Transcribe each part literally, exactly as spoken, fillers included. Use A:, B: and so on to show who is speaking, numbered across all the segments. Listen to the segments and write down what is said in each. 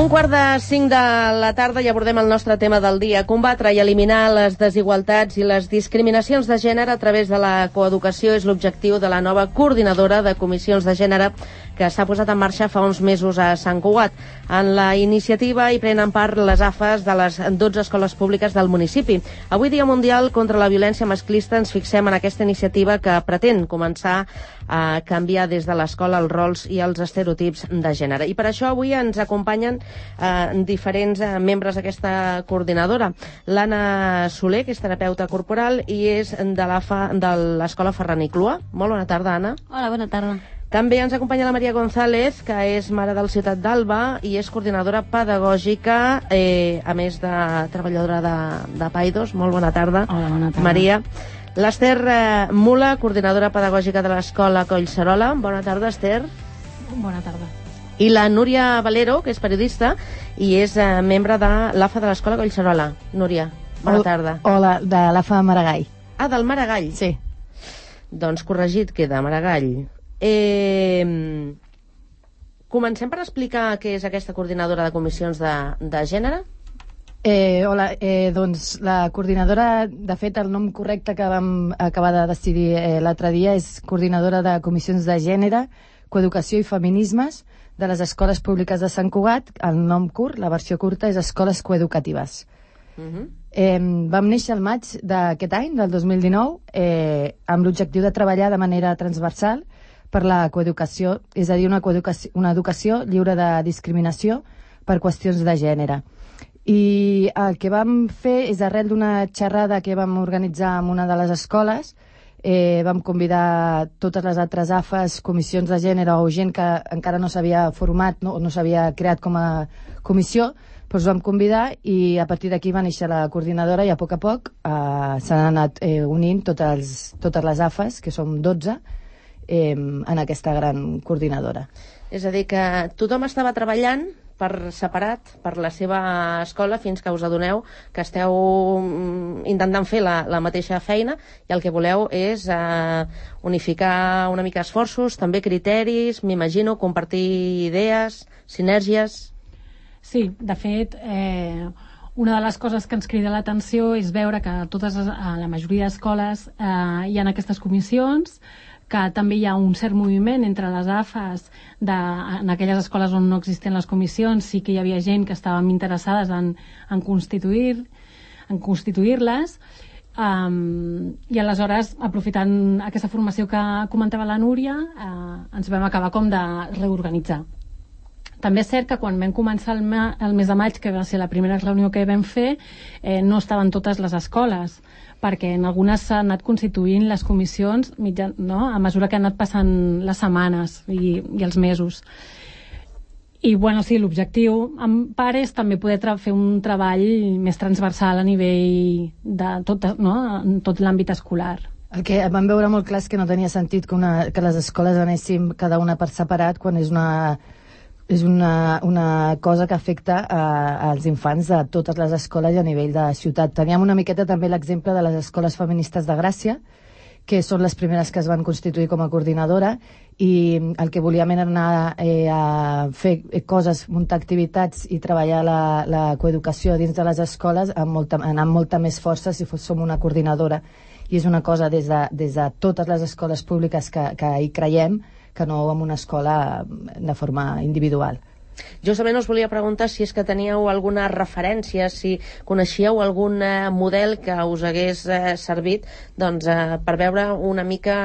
A: un quart de cinc de la tarda i abordem el nostre tema del dia: combatre i eliminar les desigualtats i les discriminacions de gènere a través de la coeducació és l'objectiu de la nova coordinadora de comissions de gènere que s'ha posat en marxa fa uns mesos a Sant Cugat. En la iniciativa hi prenen part les A F As de les dotze escoles públiques del municipi. Avui, Dia Mundial contra la Violència Masclista, ens fixem en aquesta iniciativa que pretén començar a canviar des de l'escola els rols i els estereotips de gènere. I per això avui ens acompanyen eh, diferents eh, membres d'aquesta coordinadora. L'Anna Soler, que és terapeuta corporal i és de l'Escola Ferran i Clua. Molt bona tarda, Anna.
B: Hola, bona tarda.
A: També ens acompanya la Maria González, que és mare del Ciutat d'Alba i és coordinadora pedagògica, eh, a més de treballadora de, de Paidos. Molt bona tarda.
B: Hola, bona tarda.
A: Maria. L'Ester eh, Mula, coordinadora pedagògica de l'Escola Collserola. Bona tarda, Ester.
B: Bona tarda.
A: I la Núria Valero, que és periodista i és eh, membre de l'A F A de l'Escola Collserola. Núria, bona tarda.
C: Hola, de l'A F A Maragall.
A: Ah, del Maragall?
C: Sí.
A: Doncs corregit queda, Maragall. Eh, comencem per explicar què és aquesta coordinadora de comissions de, de gènere.
C: Eh, hola, eh, doncs la coordinadora, de fet el nom correcte que vam acabar de decidir eh, l'altre dia és coordinadora de comissions de gènere, coeducació i feminismes de les escoles públiques de Sant Cugat. El nom curt, la versió curta, és Escoles Coeducatives. Uh-huh. eh, vam néixer el maig d'aquest any, del dos mil dinou, eh, amb l'objectiu de treballar de manera transversal per la coeducació, és a dir, una, coeducació, una educació lliure de discriminació per qüestions de gènere. I el que vam fer és, arrel d'una xerrada que vam organitzar en una de les escoles, eh, vam convidar totes les altres A F As, comissions de gènere o gent que encara no s'havia format, no, no s'havia creat com a comissió, doncs vam convidar i a partir d'aquí va néixer la coordinadora i a poc a poc eh, s'han anat eh, unint totes, totes les A F As, que som dotze, Eh, en aquesta gran coordinadora.
A: És a dir, que tothom estava treballant per separat, per la seva escola, fins que us adoneu que esteu intentant fer la, la mateixa feina i el que voleu és eh, unificar una mica esforços, també criteris, m'imagino, compartir idees, sinergies.
B: Sí, de fet, eh, una de les coses que ens crida l'atenció és veure que a totes, a la majoria d'escoles eh, hi ha aquestes comissions, que també hi ha un cert moviment entre les A F As de, en aquelles escoles on no existen les comissions. Sí que hi havia gent que estàvem interessades en, en constituir en constituir-les um, i aleshores, aprofitant aquesta formació que comentava la Núria, eh, ens vam acabar com de reorganitzar. També és cert que quan vam començar el, ma, el mes de maig, que va ser la primera reunió que vam fer, eh, no estaven totes les escoles, perquè en algunes s'han anat constituint les comissions mitjan, no? A mesura que han anat passant les setmanes i, i els mesos. I bueno, sí, l'objectiu en part és també poder fer un treball més transversal a nivell de tot, no? En tot l'àmbit escolar.
C: El que vam veure molt clar és que no tenia sentit que, una, que les escoles anéssim cada una per separat quan és una... és una, una cosa que afecta a, als infants de totes les escoles i a nivell de ciutat. Teníem una miqueta també l'exemple de les escoles feministes de Gràcia, que són les primeres que es van constituir com a coordinadora, i el que volíem era anar eh, a fer coses, muntar activitats i treballar la, la coeducació dins de les escoles amb molta, anar amb molta més força si fos, som una coordinadora. I és una cosa des de, des de totes les escoles públiques que, que hi creiem, que no en una escola de forma individual.
A: Justament us volia preguntar si és que teníeu alguna referència, si coneixíeu algun eh, model que us hagués eh, servit doncs, eh, per veure una mica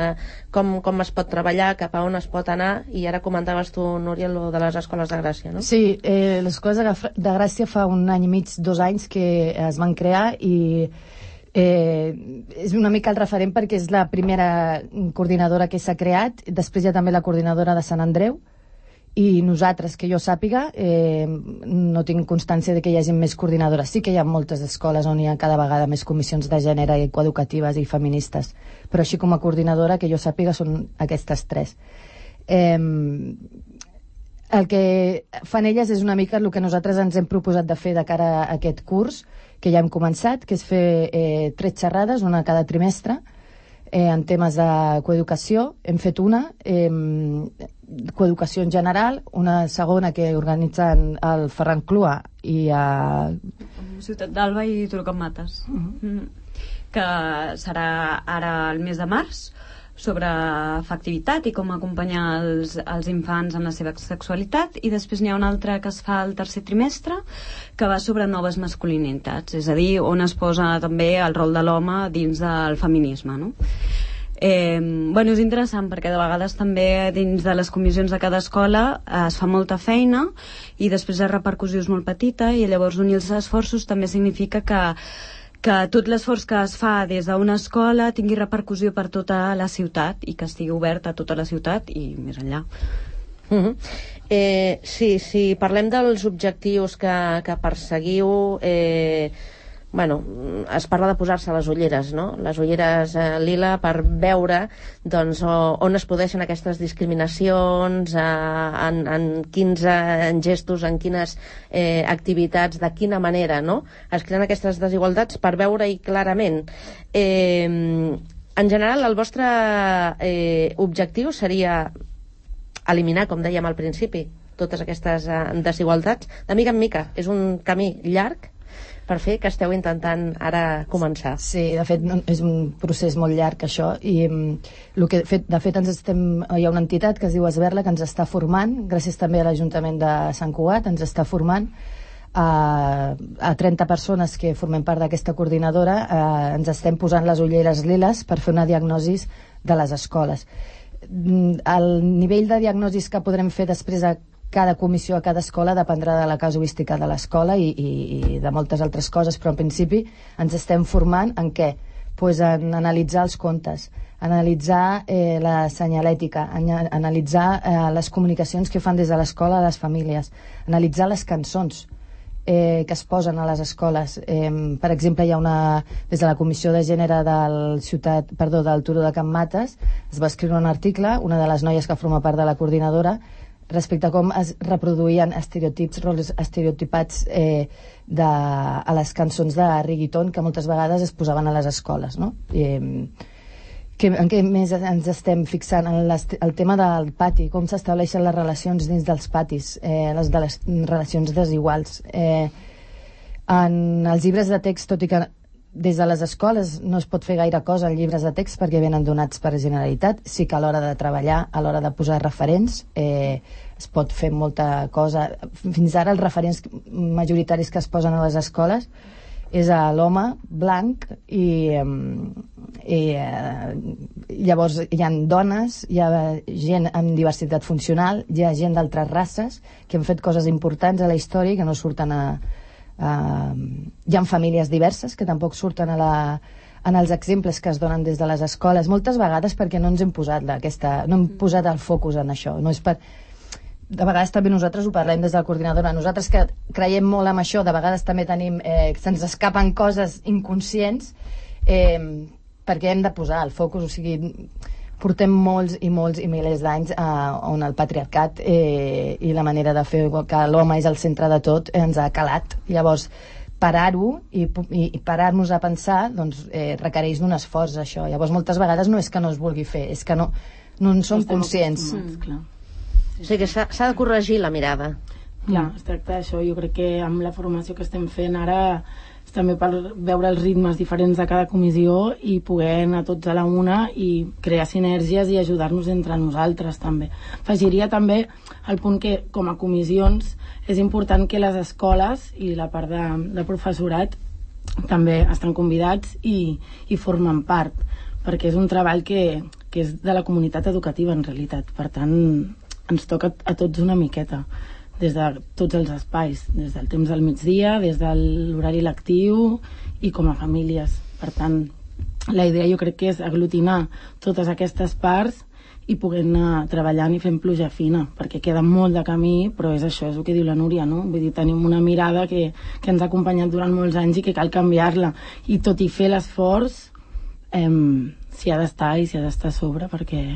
A: eh, com, com es pot treballar, cap a on es pot anar, i ara comentaves tu, Núria, lo de les escoles de Gràcia, no?
C: Sí, eh, les escoles de, de Gràcia fa un any i mig, dos anys que es van crear i Eh, és una mica el referent perquè és la primera coordinadora que s'ha creat. Després hi ha també la coordinadora de Sant Andreu i nosaltres, que jo sàpiga, eh, no tinc constància de que hi hagi més coordinadores. Sí que hi ha moltes escoles on hi ha cada vegada més comissions de gènere i coeducatives i feministes, però així com a coordinadora que jo sàpiga són aquestes tres. eh, el que fan elles és una mica el que nosaltres ens hem proposat de fer de cara a aquest curs que ja hem començat, que és fer eh, tres xerrades, una cada trimestre, eh, en temes de coeducació. Hem fet una, eh, coeducació en general, una segona que organitzen el Ferran Clua i a...
D: Ciutat d'Alba i Turó Can Mates, mm-hmm. que serà ara el mes de març, sobre afectivitat i com acompanyar els, els infants en la seva sexualitat, i després n'hi ha una altra que es fa al tercer trimestre que va sobre noves masculinitats, és a dir, on es posa també el rol de l'home dins del feminisme, no? Eh, bueno, és interessant perquè de vegades també dins de les comissions de cada escola eh, es fa molta feina i després la repercussió és molt petita, i llavors unir els esforços també significa que que tot l'esforç que es fa des d'una escola tingui repercussió per tota la ciutat i que estigui obert a tota la ciutat i més enllà.
A: Uh-huh. eh, sí, sí, parlem dels objectius que, que perseguiu. eh, bueno, es parla de posar-se les ulleres, no? Les ulleres eh, lila, per veure doncs, on es produeixen aquestes discriminacions, eh, en, en quins en gestos, en quines eh, activitats, de quina manera, no? Es creen aquestes desigualtats per veure-hi clarament. Eh, en general, el vostre eh, objectiu seria eliminar, com dèiem al principi, totes aquestes eh, desigualtats, de mica en mica. És un camí llarg per fer, que esteu intentant ara començar.
C: Sí, de fet és un procés molt llarg això, i el que fet, de fet ens estem, hi ha una entitat que es diu Esberla que ens està formant, gràcies també a l'Ajuntament de Sant Cugat, ens està formant a, a trenta persones que formem part d'aquesta coordinadora. Eh, ens estem posant les ulleres liles per fer una diagnosi de les escoles. El nivell de diagnosis que podrem fer després de cada comissió a cada escola dependrà de la casuística de l'escola i, i, i de moltes altres coses, però en principi ens estem formant en què? Pues en analitzar els contes, analitzar eh, la senyalètica, an analitzar eh, les comunicacions que fan des de l'escola a les famílies, analitzar les cançons eh, que es posen a les escoles. Eh, per exemple, hi ha una, des de la Comissió de Gènere del, ciutat, perdó, del Turó de Can Mates, es va escriure un article, una de les noies que forma part de la coordinadora, respecte a com es reproduïen estereotips, rols estereotipats eh, de, a les cançons de reggaeton que moltes vegades es posaven a les escoles, no? Eh, que, en què més ens estem fixant? En les, el tema del pati, com s'estableixen les relacions dins dels patis, eh, les de les relacions desiguals. Eh, en els llibres de text, tot i que des de les escoles no es pot fer gaire cosa en llibres de text perquè venen donats per Generalitat, sí que a l'hora de treballar, a l'hora de posar referents, eh, es pot fer molta cosa. Fins ara els referents majoritaris que es posen a les escoles és a l'home blanc i, i eh, llavors hi ha dones, hi ha gent amb diversitat funcional, hi ha gent d'altres races que han fet coses importants a la història i que no surten a Uh, hi ha famílies diverses que tampoc surten a la, en els exemples que es donen des de les escoles, moltes vegades perquè no ens hem posat aquesta, no hem posat el focus en això. No és per... De vegades també nosaltres ho parlem des de la coordinadora, nosaltres que creiem molt en això, de vegades també tenim, eh, se'ns escapen coses inconscients, eh, perquè hem de posar el focus, o sigui, portem molts i molts i milers d'anys eh, on el patriarcat eh, i la manera de fer que l'home és el centre de tot eh, ens ha calat. Llavors, parar-ho i, i, i parar-nos a pensar doncs, eh, requereix d'un esforç, això. Llavors, moltes vegades no és que no es vulgui fer, és que no, no en som conscients.
B: Mm, clar.
A: O sigui que s'ha de corregir la mirada.
E: Clar, es tracta d'això. Jo crec que amb la formació que estem fent ara també per veure els ritmes diferents de cada comissió i poder anar tots a la una i crear sinergies i ajudar-nos entre nosaltres també. Afegiria també el punt que com a comissions és important que les escoles i la part de, de professorat també estan convidats i, i formen part, perquè és un treball que, que és de la comunitat educativa en realitat, per tant ens toca a tots una miqueta des de tots els espais, des del temps del migdia, des de l'horari lectiu i com a famílies. Per tant, la idea jo crec que és aglutinar totes aquestes parts i poder anar treballant i fent pluja fina, perquè queda molt de camí, però és això, és el que diu la Núria, no? Vull dir, tenim una mirada que, que ens ha acompanyat durant molts anys i que cal canviar-la, i tot i fer l'esforç eh, s'hi ha d'estar i s'hi ha d'estar a sobre perquè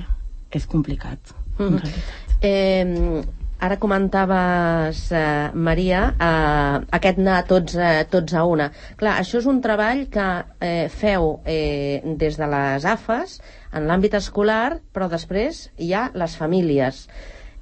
E: és complicat, en realitat.
A: Eh, ara comentaves, eh, Maria, eh, aquest anar tots, eh, tots a una. Clar, això és un treball que eh, feu eh, des de les A F As, en l'àmbit escolar, però després hi ha les famílies.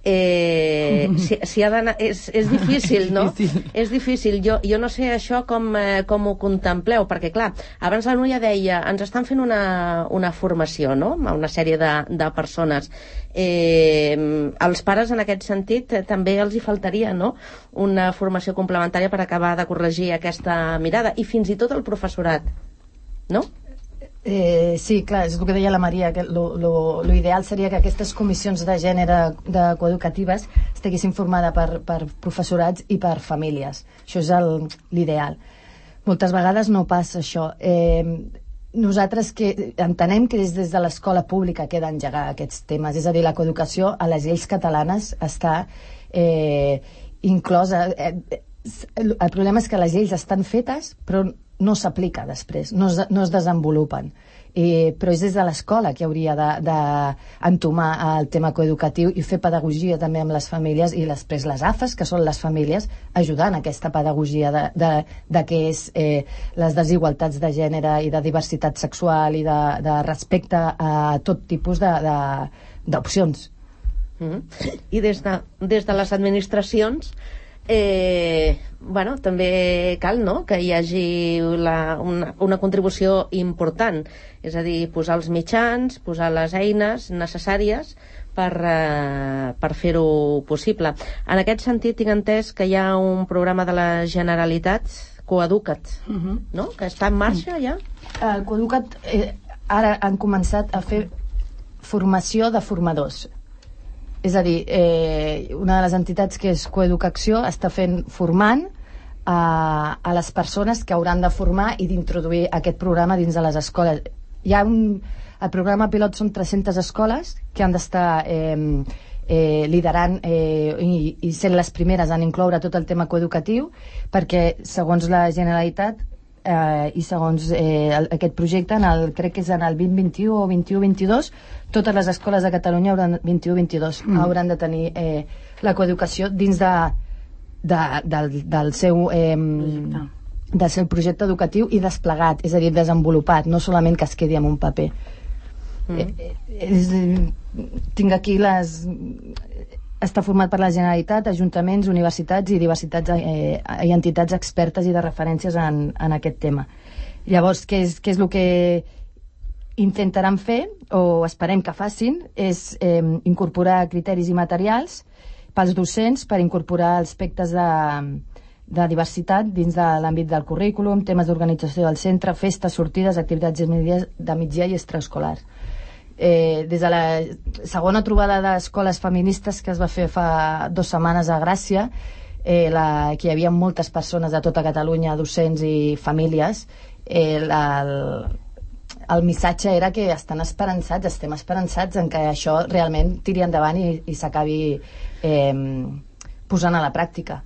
A: Eh, si, si ha d'anar, és, és difícil, no?
E: Difícil.
A: És difícil. Jo, jo no sé això com, eh, com ho contempleu, perquè clar, abans la Núria deia, ens estan fent una, una formació, no?, a una sèrie de, de persones. Eh, als pares, en aquest sentit, eh, també els hi faltaria, no?, una formació complementària per acabar de corregir aquesta mirada, i fins i tot el professorat, no?
C: Eh, sí, clar, és el que deia la Maria, que lo, lo, lo ideal seria que aquestes comissions de gènere de coeducatives estiguessin formades per, per professorats i per famílies. Això és l'ideal. Moltes vegades no passa això. Eh, nosaltres que entenem que des, des de l'escola pública que he d'engegar aquests temes, és a dir, la coeducació a les lleis catalanes està eh, inclosa. Eh, el problema és que les lleis estan fetes, però no s'aplica després, no es, no es desenvolupen. Eh, però és des de l'escola que hauria d'entomar de, el tema coeducatiu i fer pedagogia també amb les famílies, i després les A F As, que són les famílies, ajudant a aquesta pedagogia de, de, de què és eh, les desigualtats de gènere i de diversitat sexual i de, de respecte a tot tipus d'opcions.
A: Mm-hmm. I des de, des de les administracions, Eh, bueno, també cal, no?, que hi hagi la, una, una contribució important, és a dir, posar els mitjans, posar les eines necessàries per, eh, per fer-ho possible. En aquest sentit, tinc entès que hi ha un programa de la Generalitat, Coeduca't, uh-huh. no?, que està en marxa ja?
C: El Coeduca't eh, ara han començat a fer formació de formadors. És a dir, eh, una de les entitats que és Coeducació està fent formant a, a les persones que hauran de formar i d'introduir aquest programa dins de les escoles. Hi ha un, el programa pilot són tres-centes escoles que han d'estar eh, eh, liderant eh, i, i sent les primeres en incloure tot el tema coeducatiu, perquè segons la Generalitat Eh, i segons eh, el, aquest projecte en el, crec que és en el vint vint-u o vint-u vint-i-dos, totes les escoles de Catalunya hauran, vint-u vint-i-dos mm. hauran de tenir eh, la coeducació dins de, de, del, del seu eh, del seu projecte educatiu i desplegat, és a dir, desenvolupat, no solament que es quedi en un paper. mm. eh, és, tinc aquí les està format per la Generalitat, ajuntaments, universitats i diversitats eh, i entitats expertes i de referències en, en aquest tema. Llavors, què és, què és el que intentaran fer, o esperem que facin, és eh, incorporar criteris i materials pels docents per incorporar aspectes de, de diversitat dins de l'àmbit del currículum, temes d'organització del centre, festes, sortides, activitats de migdia i extraescolars. Eh, des de la segona trobada d'escoles feministes que es va fer fa dues setmanes a Gràcia, eh, la, que hi havia moltes persones de tota Catalunya, docents i famílies, eh, la, el, el missatge era que estan esperançats, estem esperançats en que això realment tiri endavant i, i s'acabi eh, posant a la pràctica.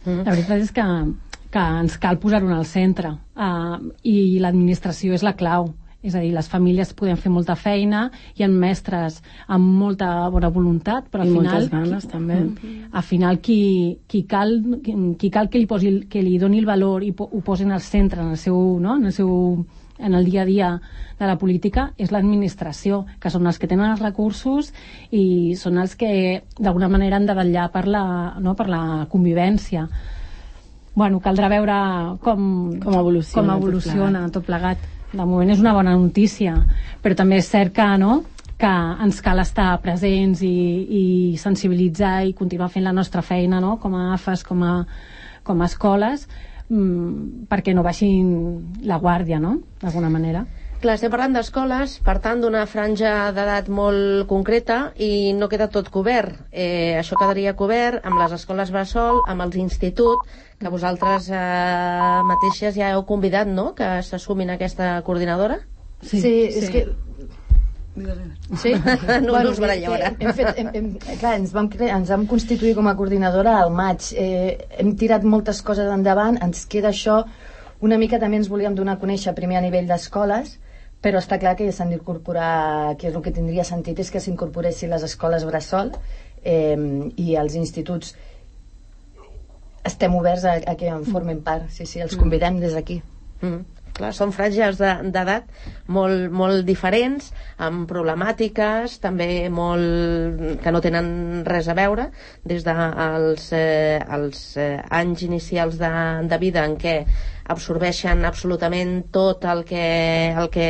B: La veritat és que, que ens cal posar-ho al centre, uh, i l'administració és la clau. És a dir, les famílies podem fer molta feina, hi ha mestres amb molta bona voluntat, però al
E: I
B: final...
E: moltes ganes,
B: qui,
E: també.
B: Al final, qui, qui, cal, qui, qui cal que li, posi, que li doni el valor i po, ho posin al centre, en el seu, no? en el seu en el dia a dia de la política, és l'administració, que són els que tenen els recursos i són els que d'alguna manera han de vetllar per la, no? per la convivència. Bueno, caldrà veure com,
E: com evoluciona,
B: com evoluciona tot plegat. Tot plegat. De moment és una bona notícia, però també és cert que, no, que ens cal estar presents i, i sensibilitzar i continuar fent la nostra feina, no, com a A F As, com a, com a escoles, mmm, perquè no baixin la guàrdia, no?, d'alguna manera.
A: Clar, estem parlant d'escoles, per tant, d'una franja d'edat molt concreta i no queda tot cobert. Eh, això quedaria cobert amb les escoles bressol, amb els instituts, que vosaltres eh, mateixes ja heu convidat, no?, que s'assumin a aquesta coordinadora?
C: Sí, sí, és sí. que...
A: Sí? No, no us baralleu ara.
C: Hem fet, hem, hem, clar, ens vam, cre... ens vam constituir com a coordinadora al maig. Eh, hem tirat moltes coses endavant, ens queda això. Una mica també ens volíem donar a conèixer primer a nivell d'escoles, però està clar que s'han d'incorporar, que és el que tindria sentit és que s'incorporessin les escoles bressol, eh, i els instituts estem oberts a, a que en formen part. Sí, sí, els convidem des d'aquí.
A: Mm. Clar, són franges d'edat molt, molt diferents, amb problemàtiques també molt que no tenen res a veure, des dels eh, els, eh, anys inicials de, de vida en què absorbeixen absolutament tot el que, el que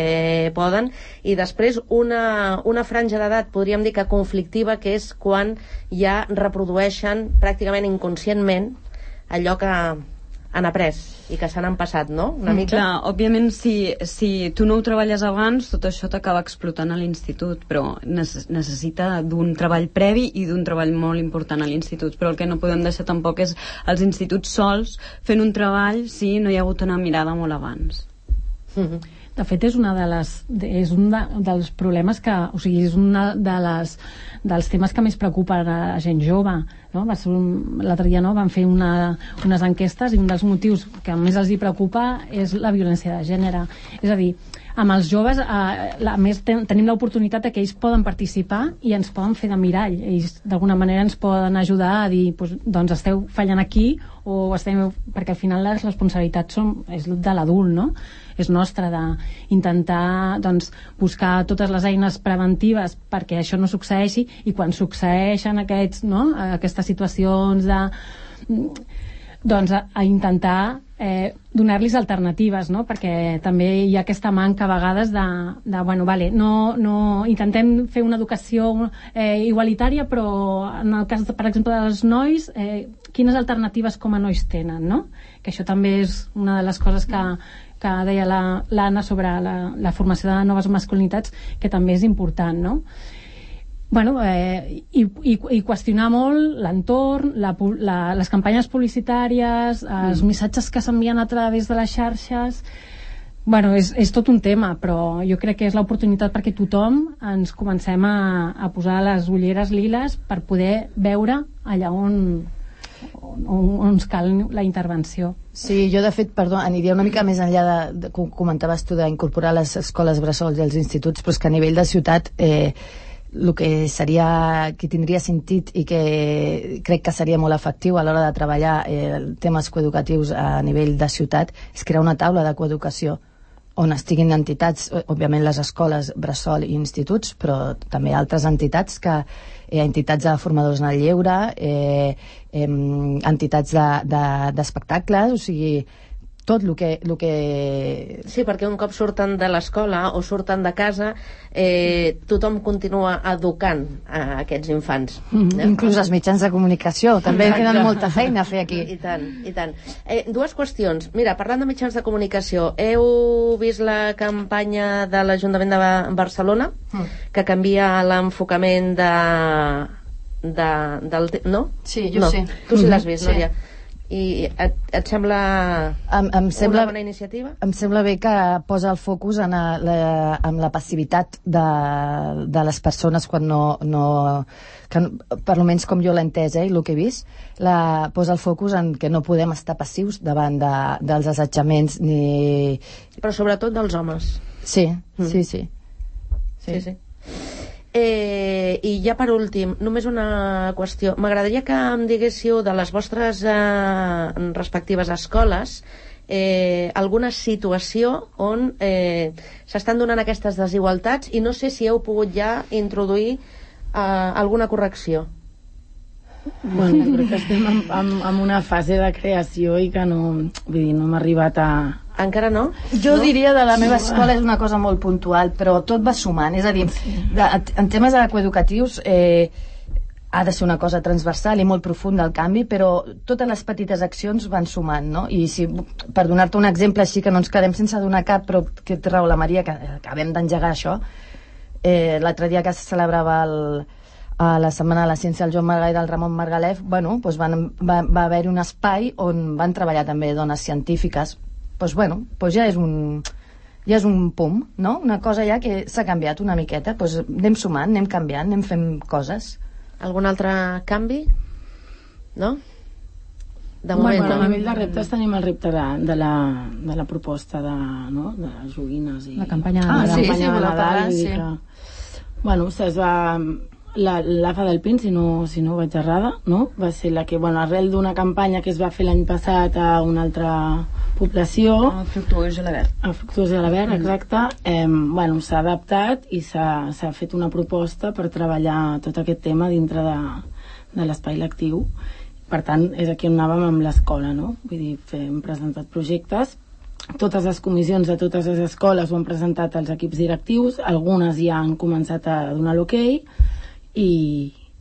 A: poden, i després una, una franja d'edat, podríem dir que conflictiva, que és quan ja reprodueixen pràcticament inconscientment allò que han après i que s'han empassat, no? Una mica.
D: Clar, òbviament, si, si tu no ho treballes abans, tot això t'acaba explotant a l'institut, però necessita d'un treball previ i d'un treball molt important a l'institut. Però el que no podem deixar tampoc és els instituts sols fent un treball si no hi ha hagut una mirada molt abans.
B: Mm-hmm. De fet, és, una de les, és un de, dels problemes que, o sigui, és una de les, dels temes que més preocupen a la gent jove, no? L'altre dia, no, van fer una, unes enquestes i un dels motius que més els hi preocupa és la violència de gènere. És a dir, amb els joves, eh, a més ten, tenim l'oportunitat que ells poden participar i ens poden fer de mirall. Ells d'alguna manera ens poden ajudar a dir, pues, doncs esteu fallant aquí, o esteu, perquè al final les responsabilitats són, és de l'adult, no? És nostra d'intentar, doncs, buscar totes les eines preventives perquè això no succeeixi, i quan succeeixen aquests, no, aquestes situacions de, doncs, a, a intentar eh, donar-los alternatives, no? Perquè també hi ha aquesta manca a vegades de, de bueno, vale, no, no, intentem fer una educació eh, igualitària, però en el cas, per exemple, dels nois, eh, quines alternatives com a nois tenen, no? Que això també és una de les coses que que deia l'Anna sobre la, la formació de noves masculinitats, que també és important, no? Bueno, eh, i, i, i qüestionar molt l'entorn, la, la, les campanyes publicitàries, els mm. missatges que s'envien a través de les xarxes. Bueno, és, és tot un tema, però jo crec que és l'oportunitat perquè tothom ens comencem a, a posar les ulleres liles per poder veure allà on, on, on ens cal la intervenció.
C: Sí, jo de fet, perdó, aniria una mica més enllà de, de com comentaves tu, d'incorporar les escoles bressols i els instituts, però és que a nivell de ciutat eh, el que seria, que tindria sentit i que crec que seria molt efectiu a l'hora de treballar eh, temes coeducatius a nivell de ciutat és crear una taula de coeducació on estiguin entitats, òbviament les escoles bressol i instituts, però també altres entitats que eh, entitats de formadors en el lleure, eh, eh, entitats d'espectacles, de, de, o sigui, tot el que, el que...
A: Sí, perquè un cop surten de l'escola o surten de casa, eh, tothom continua educant a aquests infants.
C: Mm-hmm. Eh? Inclús els mitjans de comunicació, també tenen molta feina a fer aquí.
A: I tant, i tant. Eh, dues qüestions. Mira, parlant de mitjans de comunicació, heu vist la campanya de l'Ajuntament de Barcelona, mm. que canvia l'enfocament de... de del, no?
C: Sí, jo
A: no.
C: sí.
A: Tu sí l'has vist,
C: sí.
A: Núria? I et, et sembla
C: em, em sembla,
A: una bona iniciativa? Em
C: sembla bé que posa el focus en la, en la passivitat de, de les persones quan no... no que, per almenys com jo l'he entès, eh, i el que he vist, la, posa el focus en que no podem estar passius davant de, dels assetjaments ni...
A: Però sobretot dels homes.
C: Sí, mm. sí, sí.
A: Sí, sí. sí. Eh, i ja per últim, només una qüestió. M'agradaria que em diguéssiu de les vostres eh, respectives escoles eh, alguna situació on eh, s'estan donant aquestes desigualtats i no sé si heu pogut ja introduir eh, alguna correcció.
E: Bueno, crec que estem en, en, en una fase de creació i que no, vull dir, no hem arribat a...
A: Encara no?
C: Jo
A: no?
C: diria de la meva escola és una cosa molt puntual, però tot va sumant. És a dir, de, en temes coeducatius eh, ha de ser una cosa transversal i molt profunda el canvi, però totes les petites accions van sumant, no? I si, per donar-te un exemple així, que no ens quedem sense donar cap, però que té raó la Maria, que acabem d'engegar això, eh, l'altre dia que se celebrava el... a la Setmana de la Ciència del Joan Margalef i del Ramon Margalef, bueno, doncs van, va, va haver-hi un espai on van treballar també dones científiques. Doncs bueno, doncs ja és un ja és un pum, no? Una cosa ja que s'ha canviat una miqueta, doncs anem sumant, anem canviant, anem fent coses.
A: Algun altre canvi? No? De
E: moment,
A: moment,
E: bueno,
A: no?
E: A nivell de reptes tenim el repte de, de, la, de la proposta de, no? de les joguines i...
B: La campanya de
C: ah,
B: Nadal.
C: sí, sí,
E: de
C: Nadal,
E: Nadal,
C: sí.
E: que, bueno, es va... la, l'A F A del P I N, si no, si no vaig errada, no? Va ser la que, bueno, arrel d'una campanya que es va fer l'any passat a una altra població,
D: a Fructuós i l'Avert,
E: a Fructuós i l'Avert, exacte, eh, bueno, s'ha adaptat i s'ha, s'ha fet una proposta per treballar tot aquest tema dintre de, de l'espai lectiu. Per tant, és aquí on anàvem amb l'escola, no? Vull dir, hem presentat projectes. Totes les comissions de totes les escoles ho han presentat als equips directius, algunes ja han començat a donar l'ok i,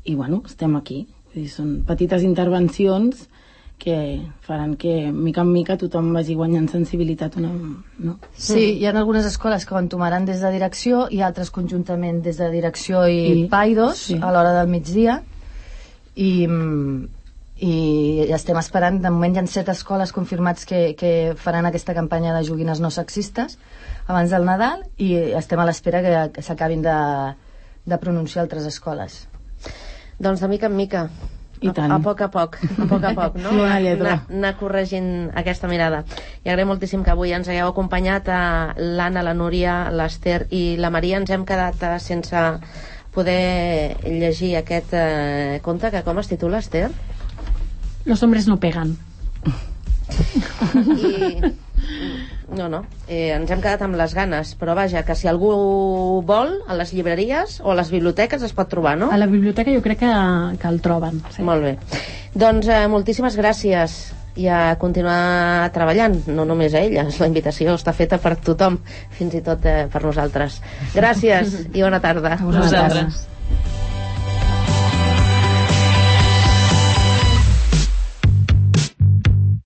E: i bueno, estem aquí. Vull dir, són petites intervencions que faran que mica en mica tothom vagi guanyant sensibilitat una, no?
C: Sí, hi ha algunes escoles que ho entomaran des de direcció i altres conjuntament des de direcció i, I Paidos, sí, a l'hora del migdia, i i estem esperant. De moment hi ha set escoles confirmats que, que faran aquesta campanya de joguines no sexistes abans del Nadal i estem a l'espera que, que s'acabin de, de pronunciar altres escoles.
A: Doncs de mica en mica,
E: I tant.
A: A, a poc a poc, a poc a poc, no? Anar, anar corregint aquesta mirada. I agraïm moltíssim que avui ens hagueu acompanyat a l'Anna, la Núria, l'Ester i la Maria. Ens hem quedat sense poder llegir aquest eh, conte, que com es titula, Ester?
B: Los hombres no pegan.
A: I... No, no, eh, ens hem quedat amb les ganes, però vaja, que si algú vol, a les llibreries o a les biblioteques es pot trobar, no?
B: A la biblioteca jo crec que, que el troben. Sí.
A: Molt bé. Doncs eh, moltíssimes gràcies i a continuar treballant, no només a elles, la invitació està feta per tothom, fins i tot eh, per nosaltres. Gràcies i bona tarda.
B: A vosaltres.